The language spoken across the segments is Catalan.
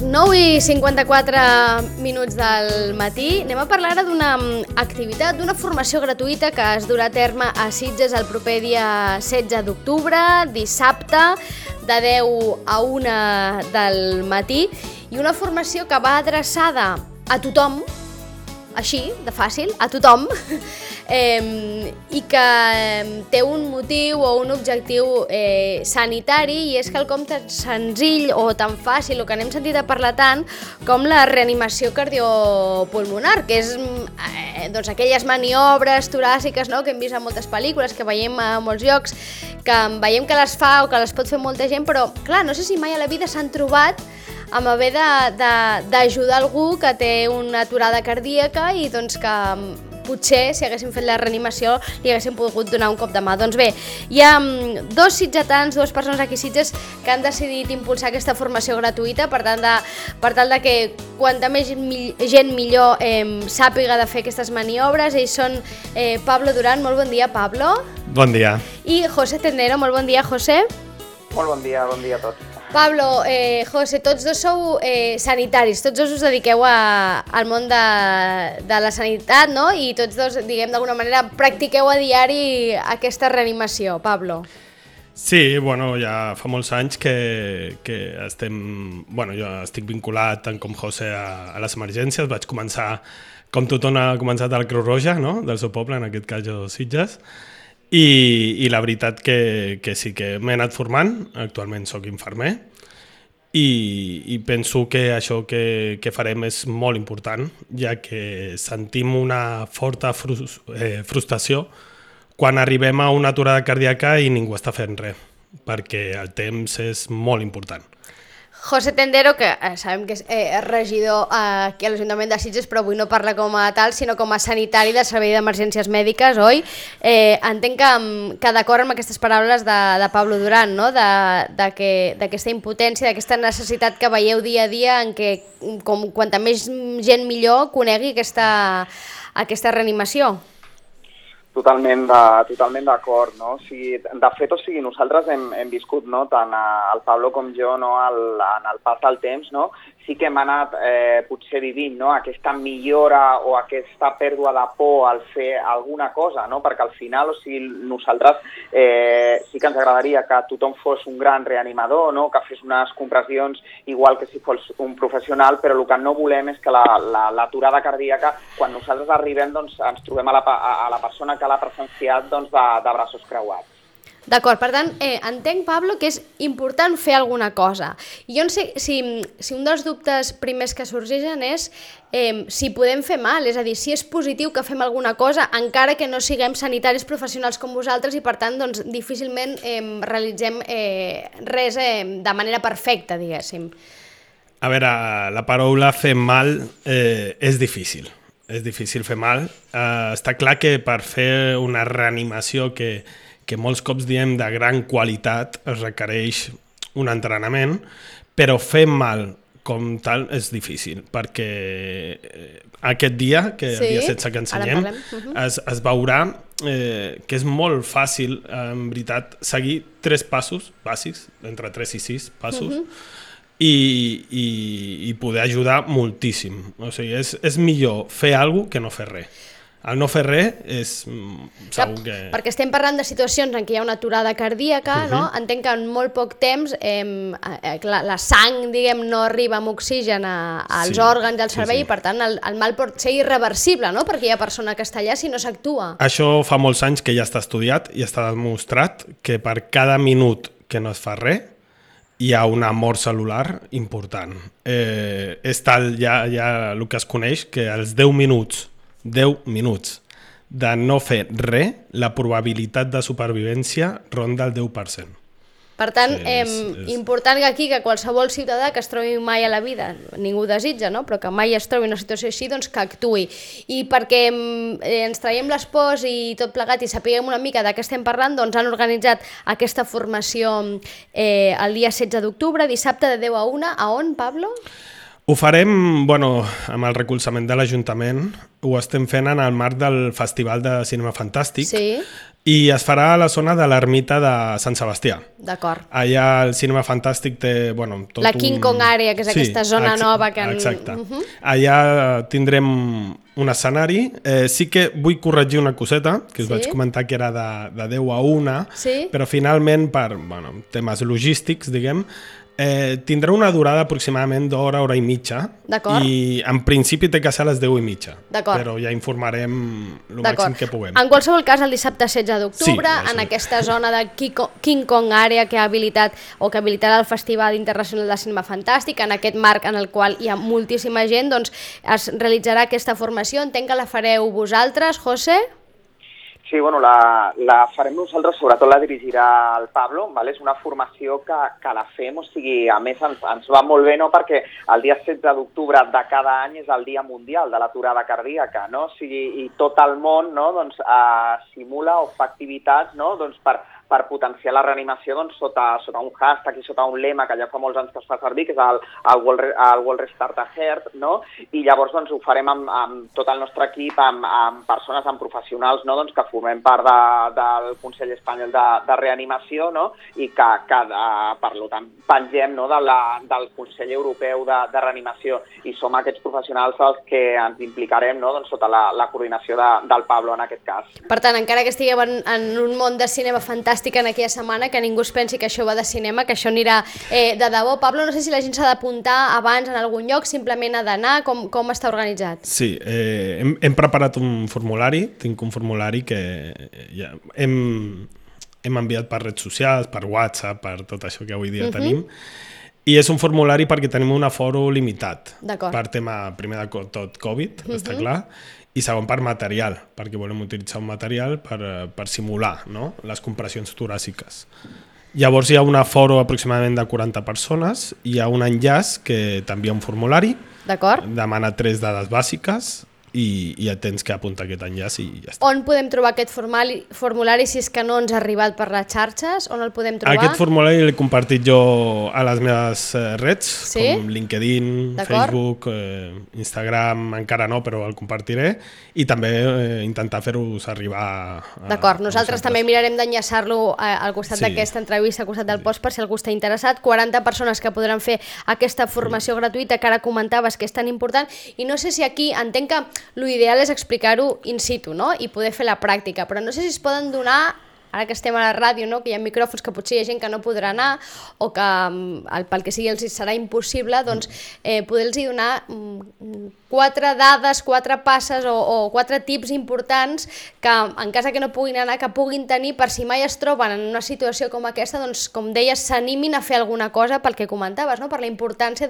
9:54 del matí. Anem a parlar ara d'una activitat, d'una formació gratuïta que es durà a terme a Sitges el proper dia 16 d'octubre, dissabte, de 10 a 1 del matí, i una formació que va adreçada a tothom, així, de fàcil, a tothom, i que té un motiu o un objectiu sanitari, i és quelcom tan senzill o tan fàcil, o que n'hem sentit a parlar tant, com la reanimació cardiopulmonar, que és doncs, aquelles maniobres toràciques, no?, que hem vist a moltes pel·lícules, que veiem a molts llocs, que veiem que les fa o que les pot fer molta gent, però clar, no sé si mai a la vida s'han trobat amb haver d'ajudar algú que té una aturada cardíaca i doncs que potser, si haguéssim fet la reanimació, li haguéssim pogut donar un cop de mà. Doncs bé, hi ha dos sitgetans, dues persones aquí a Sitges, que han decidit impulsar aquesta formació gratuïta per tal de que quanta més gent millor sàpiga de fer aquestes maniobres. Ells són Pablo Duran. Molt bon dia, Pablo. Bon dia. I José Tendero. Molt bon dia, José. Molt bon dia a tots. Pablo, José, tots dos sou sanitaris, tots dos us dediqueu al món de la sanitat, no? I tots dos, diguem, d'alguna manera, practiqueu a diari aquesta reanimació, Pablo. Sí, bueno, ja fa molts anys que estem... Bueno, jo estic vinculat, tant com José, a les emergències. Vaig començar, com tothom ha començat, al Creu Roja, no?, del seu poble, en aquest cas jo, Sitges. I la veritat que sí que m'he anat formant, actualment sóc infermer, i penso que això que farem és molt important, ja que sentim una forta frustració quan arribem a una aturada cardíaca i ningú està fent res, perquè el temps és molt important. José Tendero, que sabem que és regidor aquí a l'Ajuntament de Sitges, però avui no parla com a tal, sinó com a sanitari del Servei d'Emergències Mèdiques, oi? Entenc que d'acord amb aquestes paraules de Pablo Duran, no?, d'aquesta impotència, d'aquesta necessitat que veieu dia a dia en què quanta més gent millor conegui aquesta reanimació. Totalment d'acord, no? De fet, nosaltres hem viscut, no?, tant el Pablo com jo, no?, en el pas del temps, no?, sí que hem anat potser vivint, no?, aquesta millora o aquesta pèrdua de por al fer alguna cosa, no?, perquè al final, nosaltres sí que ens agradaria que tothom fos un gran reanimador, no?, que fes unes compressions igual que si fos un professional, però el que no volem és que l'aturada cardíaca, quan nosaltres arribem, doncs ens trobem a la persona que l'ha presenciat, doncs, de braços creuats. D'acord, per tant, entenc, Pablo, que és important fer alguna cosa. I jo no sé si un dels dubtes primers que sorgeixen és si podem fer mal, és a dir, si és positiu que fem alguna cosa, encara que no siguem sanitaris professionals com vosaltres i, per tant, doncs, difícilment realitzem res de manera perfecta, diguéssim. A veure, la paraula fer mal és difícil. És difícil fer mal. Està clar que per fer una reanimació que molts cops diem de gran qualitat es requereix un entrenament, però fer mal com tal és difícil, perquè aquest dia, que el dia 16 que ensenyem, es veurà que és molt fàcil, en veritat, seguir 3 passos bàsics, entre 3 i 6 passos, i poder ajudar moltíssim. O sigui, és millor fer alguna cosa que no fer res. El no fer res és segur que... Perquè estem parlant de situacions en què hi ha una aturada cardíaca, no? Entenc que en molt poc temps la sang, diguem, no arriba amb oxigen als òrgans del cervell, i per tant el mal pot ser irreversible, no?, perquè hi ha persona que està allà si no s'actua. Això fa molts anys que ja està estudiat i està demostrat que per cada minut que no es fa res hi ha una mort cel·lular important. És tal ja el que es coneix que als 10 minuts de no fer res, la probabilitat de supervivència ronda el 10%. Per tant, important que aquí, que qualsevol ciutadà que es trobi mai a la vida, ningú desitja, no?, però que mai es trobi una situació així, doncs que actuï. I perquè ens traiem les pors i tot plegat i sapiguem una mica de què estem parlant, doncs han organitzat aquesta formació el dia 16 d'octubre, dissabte de 10 a 1. A on, Pablo? Ho farem, bueno, amb el recolzament de l'Ajuntament, ho estem fent en el marc del Festival de Cinema Fantàstic, Sí, i es farà a la zona de l'ermita de Sant Sebastià. d'acord. Allà el Cinema Fantàstic té, bueno, tot La King Kong Area, que és aquesta zona nova que... Exacte. Allà tindrem un escenari. Sí que vull corregir una coseta, que us vaig comentar que era de 10 a 1, però finalment, per temes logístics, diguem, tindrà una durada aproximadament d'hora, hora i mitja, i en principi té que ser a les 10:30, però ja informarem el màxim que puguem. En qualsevol cas, el dissabte 16 d'octubre, en aquesta zona de King Kong Area que ha habilitat o que habilitarà el Festival Internacional de Cinema Fantàstic, en aquest marc en el qual hi ha moltíssima gent, doncs es realitzarà aquesta formació. Entenc que la fareu vosaltres, José? Sí, bueno, la farem nosaltres, sobretot la dirigirà el Pablo, ¿vale? És una formació que la fem, o sigui, a més ens va molt bé, no?, perquè el dia 16 d'octubre de cada any és el Dia Mundial de l'Aturada Cardíaca, no? O sigui, i tot el món, no?, doncs, simula o fa activitats, no?, doncs, per potenciar la reanimació, doncs, sota un hashtag i sota un lema que ja fa molts anys que es fa servir, que és el World Restart a Heart, no? I llavors, doncs, ho farem amb tot el nostre equip, amb persones, amb professionals, no?, doncs, que formem part del Consell Espanyol de Reanimació, no?, i que per tant, pengem, no?, del Consell Europeu de Reanimació, i som aquests professionals els que ens implicarem, no?, doncs, sota la coordinació del Pablo, en aquest cas. Per tant, encara que estiguem en un món de cinema fantàstic en aquella setmana, que ningú es pensi que això va de cinema, que això anirà de debò. Pablo, no sé si la gent s'ha d'apuntar abans en algun lloc, simplement ha d'anar, com està organitzat? Sí, hem preparat un formulari, tinc un formulari que ja hem enviat per redes socials, per WhatsApp, per tot això que avui dia tenim, i és un formulari perquè tenim un aforo limitat, per tema, primer de tot, Covid, està clar, i segon per material, perquè volem utilitzar un material per simular, no?, les compressions toràciques. Llavors hi ha un aforo aproximadament de 40 persones, hi ha un enllaç que t'envia un formulari, demana 3 dades bàsiques i ja tens que apuntar aquest enllaç i ja està. On podem trobar aquest formulari si és que no ens ha arribat per les xarxes? On el podem trobar? Aquest formulari l'he compartit jo a les meves redes, com LinkedIn, Facebook, Instagram, encara no, però el compartiré, i també intentar fer-vos arribar D'acord, nosaltres també mirarem d'enllaçar-lo al costat d'aquesta entrevista, al costat del post, per si algú està interessat. 40 persones que podran fer aquesta formació gratuïta que ara comentaves que és tan important, i no sé si aquí, entenc que l'ideal és explicar-ho in situ, no?, i poder fer la pràctica, però no sé si es poden donar, ara que estem a la ràdio, no?, que hi ha micròfons, que potser hi ha gent que no podrà anar o que pel que sigui els serà impossible, doncs poder-los donar 4 dades, 4 passes o 4 tips importants que en cas que no puguin anar, que puguin tenir per si mai es troben en una situació com aquesta, doncs com deies, s'animin a fer alguna cosa pel que comentaves, no?, per la importància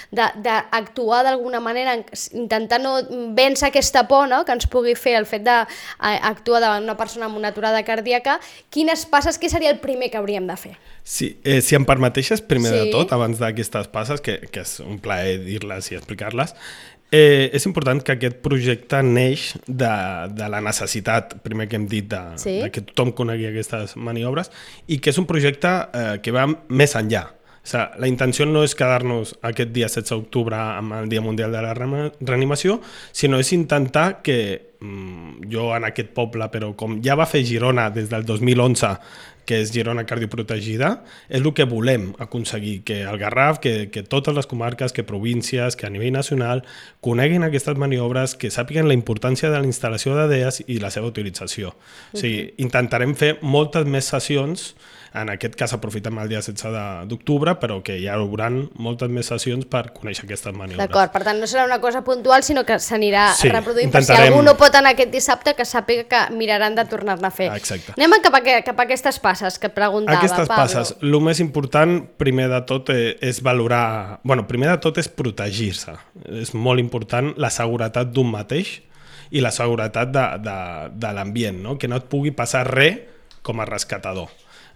d'actuar d'alguna manera, intentar no vèncer aquesta por, no?, que ens pugui fer el fet d'actuar davant una persona amb una aturada cardíaca. Quines passes, què seria el primer que hauríem de fer? Sí, si em permeteixes, primer de tot, abans d'aquestes passes, que és un plaer dir-les i explicar-les, és important que aquest projecte neix de la necessitat, primer que hem dit, de que tothom conegui aquestes maniobres, i que és un projecte que va més enllà. O sigui, la intenció no és quedar-nos aquest dia 16 d'octubre amb el Dia Mundial de la Reanimació, sinó és intentar que jo en aquest poble, però com ja va fer Girona des del 2011, que és Girona Cardioprotegida, és el que volem aconseguir, que el Garraf, que totes les comarques, que províncies, que a nivell nacional coneguin aquestes maniobres, que sàpiguen la importància de la instal·lació d'ADEAs i la seva utilització. O sigui, intentarem fer moltes més sessions, en aquest cas aprofitem el dia 16 d'octubre, però que hi haurà moltes més sessions per conèixer aquestes maniobres. D'acord, per tant no serà una cosa puntual, sinó que s'anirà reproduint, per si algú no pot anar aquest dissabte, que sàpiga que miraran de tornar-ne a fer. Exacte. Anem cap a aquestes passes que et preguntava, Aquestes Pablo. passes, el més important, primer de tot, és valorar... Bueno, primer de tot és protegir-se. És molt important la seguretat d'un mateix i la seguretat de l'ambient, no? Que no et pugui passar res com a rescatador.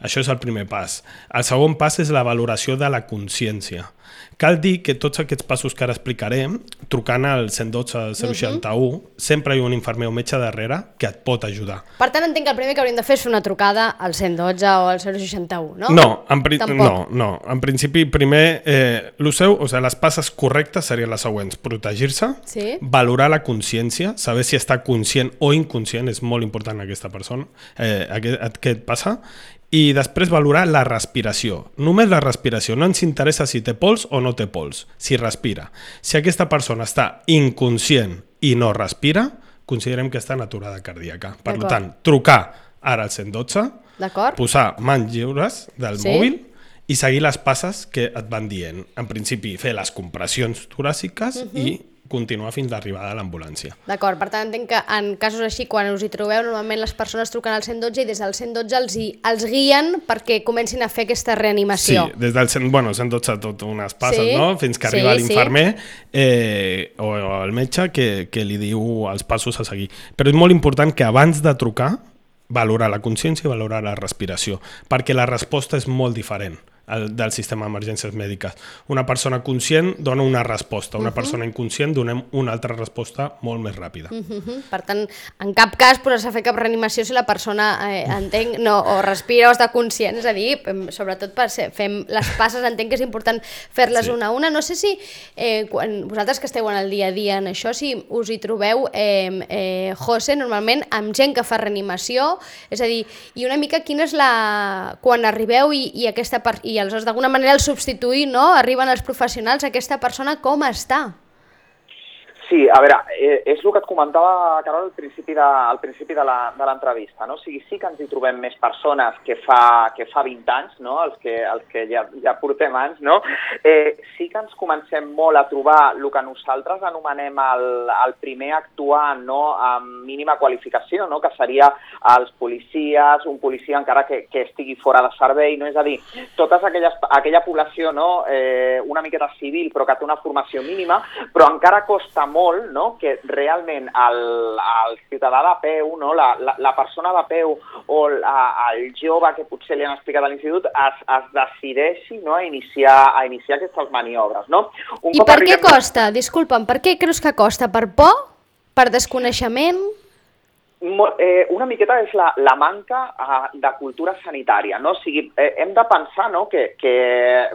Això és el primer pas. El segon pas és la valoració de la consciència. Cal dir que tots aquests passos que ara explicaré, trucant al 112 061, sempre hi ha un infermer o metge darrere que et pot ajudar. Per tant, entenc que el primer que hauríem de fer és fer una trucada al 112 o al 061, no? No, en principi primer les passes correctes serien les següents: protegir-se, valorar la consciència, saber si està conscient o inconscient, és molt important aquesta persona, què et passa, i després valorar la respiració. Només la respiració, no ens interessa si té pols o no té pols, si respira. Si aquesta persona està inconscient i no respira, considerem que està en aturada cardíaca. Per tant, trucar ara al 112, posar mans lliures del mòbil i seguir les passes que et van dient. En principi, fer les compressions toràciques i continuar fins l'arribada de l'ambulància. D'acord, per tant entenc que en casos així, quan us hi trobeu, normalment les persones truquen al 112 i des del 112 els guien perquè comencin a fer aquesta reanimació. Sí, des del 112 tot unes passes, no? Fins que arriba l'infermer o el metge que li diu els passos a seguir. Però és molt important que abans de trucar valorar la consciència i valorar la respiració, perquè la resposta és molt diferent del sistema d'emergències mèdiques. Una persona conscient dona una resposta, una persona inconscient donem una altra resposta molt més ràpida. Per tant, en cap cas posar-se a fer cap reanimació si la persona entenc, o respira o està conscient, és a dir, sobretot fem les passes, entenc que és important fer-les una a una. No sé si vosaltres que esteu en el dia a dia en això, si us hi trobeu, José, normalment amb gent que fa reanimació, és a dir, i una mica quina és la... quan arribeu i aquesta part i aleshores d'alguna manera el substituir, no? Arriben els professionals, aquesta persona com està? Sí, a veure, és el que et comentava, Carol, al principi de l'entrevista, no? O sigui, sí que ens hi trobem més persones que fa 20 anys, no? Els que ja portem anys, no? Sí que ens comencem molt a trobar el que nosaltres anomenem el primer actuant, no? Amb mínima qualificació, no? Que seria els policies, un policia encara que estigui fora de servei, no? És a dir, tota aquella població, no? Una miqueta civil, però que té una formació mínima, però encara costa molt, no? Que realment el ciutadà de peu, no? La persona de peu o el jove que potser li han explicat a l'institut es decideixi, no? a iniciar aquestes maniobres. No? I per què costa? Disculpa'm, per què creus que costa? Per por? Per desconeixement? Una miqueta és la manca de cultura sanitària, no? O sigui, hem de pensar, no? que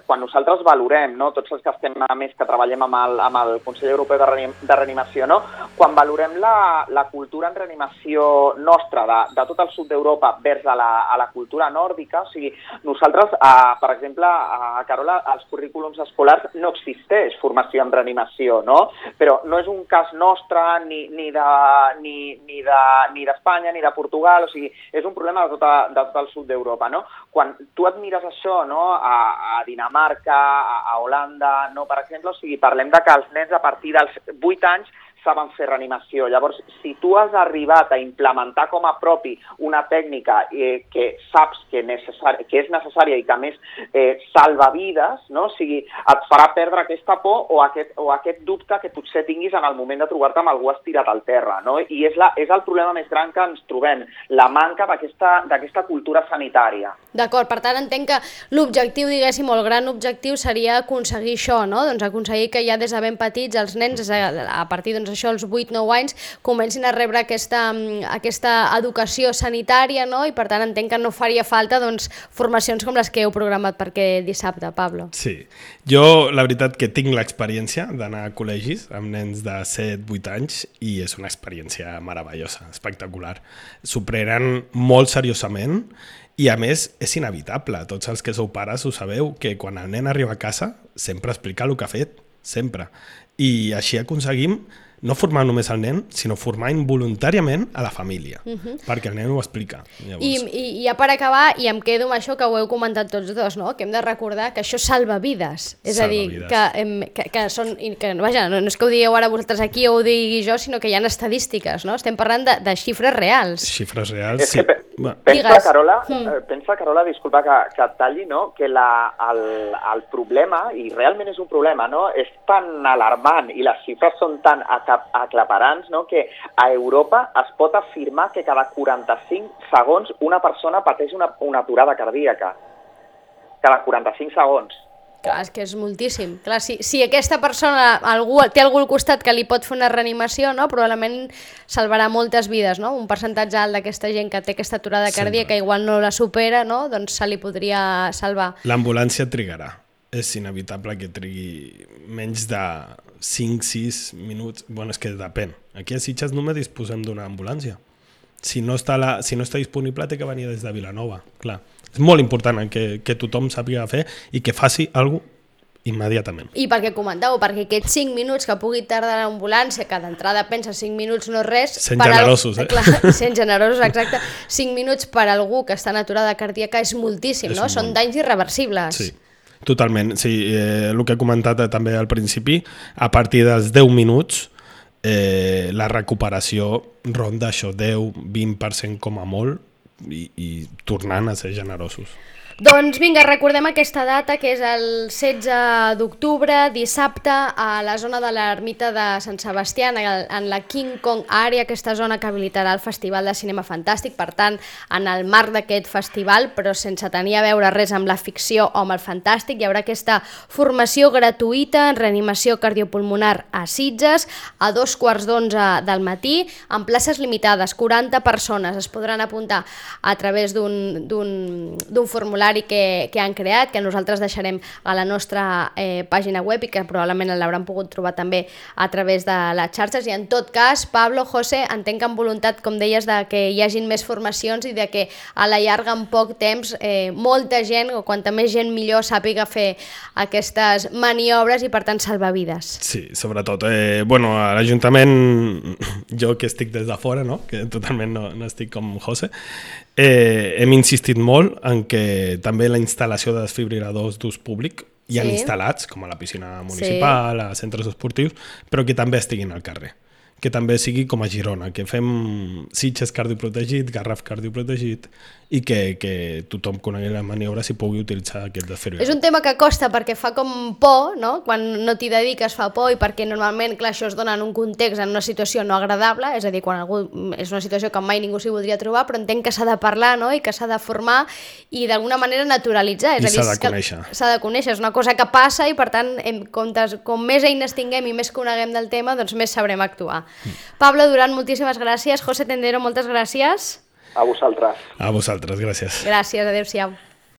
quan nosaltres valorem, no? Tots els que estem més que treballem amb el Consell Europeu de Reanimació, no? Quan valorem la cultura en reanimació nostra de tot el sud d'Europa vers a la cultura nòrdica, o sigui, nosaltres, per exemple, a Carola, als currículums escolars no existeix formació en reanimació, no? Però no és un cas nostre ni d'Espanya, ni de Portugal, o sigui, és un problema de tot el sud d'Europa, no? Quan tu et mires això, no? A Dinamarca, a Holanda, no? Per exemple, o sigui, parlem de que els nens a partir dels 8 anys saben fer reanimació. Llavors, si tu has arribat a implementar com a propi una tècnica que saps que és necessària i que a més salva vides, no? O sigui, et farà perdre aquesta por o aquest dubte que potser tinguis en el moment de trobar-te amb algú estirat al terra, no? I és el problema més gran que ens trobem, la manca d'aquesta cultura sanitària. D'acord, per tant entenc que l'objectiu, diguéssim, o el gran objectiu seria aconseguir això, no? Doncs aconseguir que ja des de ben petits els nens, a partir això, els 8-9 anys, comencin a rebre aquesta educació sanitària, no? I per tant entenc que no faria falta formacions com les que heu programat per aquest dissabte, Pablo. Sí, jo la veritat que tinc l'experiència d'anar a col·legis amb nens de 7-8 anys i és una experiència meravellosa, espectacular. S'ho prenen molt seriosament i a més és inevitable, tots els que sou pares ho sabeu, que quan el nen arriba a casa sempre explica el que ha fet, sempre. I així aconseguim no formar només el nen, sinó formar involuntàriament a la família, perquè el nen ho explica. I ja per acabar, i em quedo amb això que ho heu comentat tots dos, no? Que hem de recordar que això salva vides. És a dir, que són... Vaja, no és que ho digueu ara vosaltres aquí o ho digui jo, sinó que hi ha estadístiques, no? Estem parlant de xifres reals. Xifres reals, sí. Pensa, Carola, disculpa que et talli, no? Que el problema, i realment és un problema, no? És tan alarmant i les xifres són tan aclaparants, no? Que a Europa es pot afirmar que cada 45 segons una persona pateix una aturada cardíaca. Cada 45 segons. Clar, és que és moltíssim. Clar, si aquesta persona té algú al costat que li pot fer una reanimació, no? Probablement salvarà moltes vides, no? Un percentatge alt d'aquesta gent que té aquesta aturada cardíaca igual no la supera, no? Doncs se li podria salvar. L'ambulància trigarà. És inevitable que trigui menys de 5-6 minuts. Bueno, és que depèn. Aquí a Sitges només disposem d'una ambulància. Si no està disponible, té que venir des de Vilanova, clar. És molt important que tothom sàpiga fer i que faci alguna cosa immediatament. I perquè comentàveu, perquè aquests 5 minuts que pugui tardar l'ambulància, que d'entrada pensa 5 minuts no és res... Sent generosos, Clar, sent generosos, exacte. 5 minuts per algú que està en aturada cardíaca és moltíssim, no? Són danys irreversibles. Sí, totalment. Sí, el que he comentat també al principi, a partir dels 10 minuts la recuperació ronda això 10-20% com a molt i tornant a ser generosos. Doncs vinga, recordem aquesta data que és el 16 d'octubre, dissabte, a la zona de l'ermita de Sant Sebastià, en la King Kong Area, aquesta zona que habilitarà el Festival de Cinema Fantàstic. Per tant, en el marc d'aquest festival, però sense tenir a veure res amb la ficció o amb el fantàstic, hi haurà aquesta formació gratuïta en reanimació cardiopulmonar a Sitges a 2:15 del matí, amb places limitades, 40 persones. Es podran apuntar a través d'un formulari que han creat, que nosaltres deixarem a la nostra pàgina web i que probablement l'hauran pogut trobar també a través de les xarxes. I en tot cas, Pablo, José, entenc amb voluntat, com deies, de que hi hagin més formacions i de que a la llarga, en poc temps, molta gent, o quanta més gent millor, sàpiga fer aquestes maniobres i per tant salvar vides. Sí, sobretot. Bueno, a l'Ajuntament, jo que estic des de fora, no? Que totalment no estic com José, hem insistit molt en que també la instal·lació de desfibriladors d'ús públic hi han instal·lats, com a la piscina municipal, a centres esportius, però que també estiguin al carrer. Que també sigui com a Girona, que fem Sitges cardioprotegit, Garraf cardioprotegit i que tothom conegui la maniobra si pugui utilitzar aquest desfibrilador. És un tema que costa perquè fa com por, no? Quan no t'hi dediques fa por i perquè normalment, clar, això es dona en un context, en una situació no agradable, és a dir, quan algú és una situació que mai ningú s'hi voldria trobar, però entenc que s'ha de parlar, no? I que s'ha de formar i d'alguna manera naturalitzar. I s'ha de conèixer. S'ha de conèixer, és una cosa que passa i per tant, com més eines tinguem i més coneguem del tema, doncs més sabrem actuar. Pablo Duran, moltíssimes gràcies. José Tendero, moltes gràcies. A vosaltres. A vosaltres, gràcies. Gràcies, adéu-siau.